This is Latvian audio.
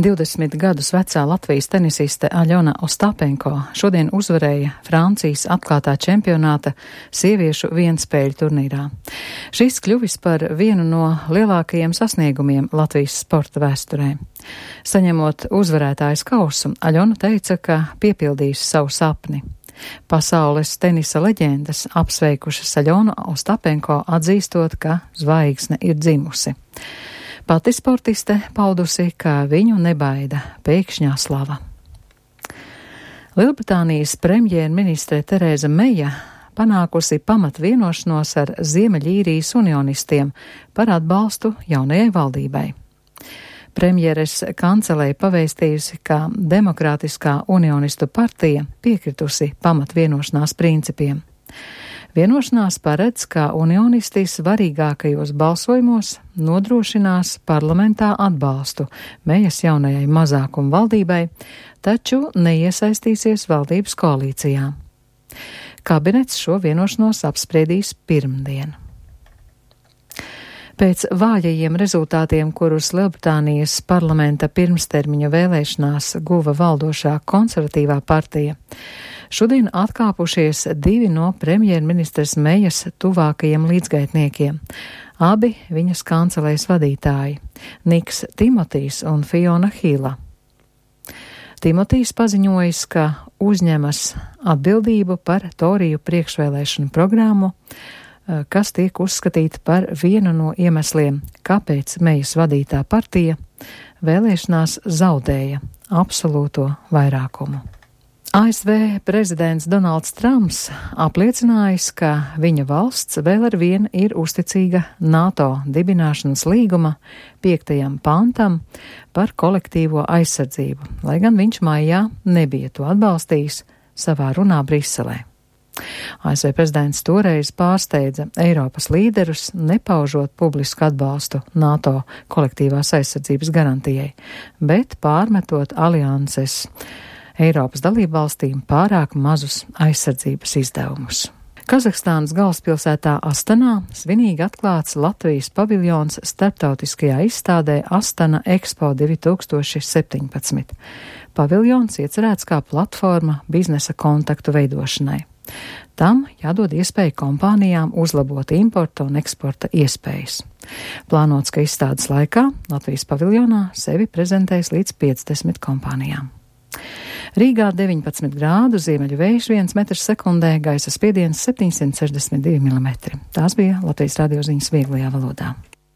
20 gadus vecā Latvijas tenisiste Aļona Ostapenko šodien uzvarēja Francijas atklātā čempionāta sieviešu vienspēļu turnīrā. Šis kļuvis par vienu no lielākajiem sasniegumiem Latvijas sporta vēsturē. Saņemot uzvarētājas kausu, Aļona teica, ka piepildīs savu sapni. Pasaules tenisa leģendas apsveikušas Aļonu Ostapenko, atzīstot, ka zvaigzne ir dzimusi. Pati sportiste paudusi, ka viņu nebaida pēkšņā slava. Lielbritānijas premjerministre Tereza Meija panākusi pamatvienošanos ar Ziemeļīrijas unionistiem par atbalstu jaunajai valdībai. Premjeres kancelei pavēstījusi, ka Demokrātiskā unionistu partija piekritusi pamatvienošanās principiem. Vienošanās paredz, ka unionisti svarīgākajos balsojumos nodrošinās parlamentā atbalstu Meijas jaunajai mazākuma valdībai, taču neiesaistīsies valdības koalīcijā. Kabinets šo vienošanos apspriedīs pirmdien. Pēc vājajiem rezultātiem, kurus Lielbritānijas parlamenta pirmstermiņa vēlēšanās guva valdošā konservatīvā partija, šodien atkāpušies 2 no premjerministres Meijas tuvākajiem līdzgaitniekiem, abi viņas kancelējas vadītāji - Niks Timotijs un Fiona Hila. Timotijs paziņojis, ka uzņemas atbildību par Toriju priekšvēlēšanu programmu, kas tiek uzskatīta par vienu no iemesliem, kāpēc Meijas vadītā partija vēlēšanās zaudēja absolūto vairākumu. ASV prezidents Donalds Trumps apliecinājis, ka viņa valsts vēl ar vienu ir uzticīga NATO dibināšanas līguma 5. pantam par kolektīvo aizsardzību, lai gan viņš maijā nebija to atbalstījis savā runā Briselē. ASV prezidents toreiz pārsteidza Eiropas līderus, nepaužot publisku atbalstu NATO kolektīvās aizsardzības garantijai, bet pārmetot alianses Eiropas dalībvalstīm pārāk mazus aizsardzības izdevumus. Kazahstānas galvaspilsētā Astanā svinīgi atklāts Latvijas paviljons starptautiskajā izstādē Astana Expo 2017. Paviljons iecerēts kā platforma biznesa kontaktu veidošanai. Tam jādod iespēju kompānijām uzlabot importa un eksporta iespējas. Plānots, ka izstādes laikā Latvijas paviljonā sevi prezentēs līdz 50 kompānijām. Rīgā 19 grādu, ziemeļu vējš 1 metrs sekundē, gaisa spiediens 762 mm. Tās bija Latvijas radio ziņas vieglajā valodā.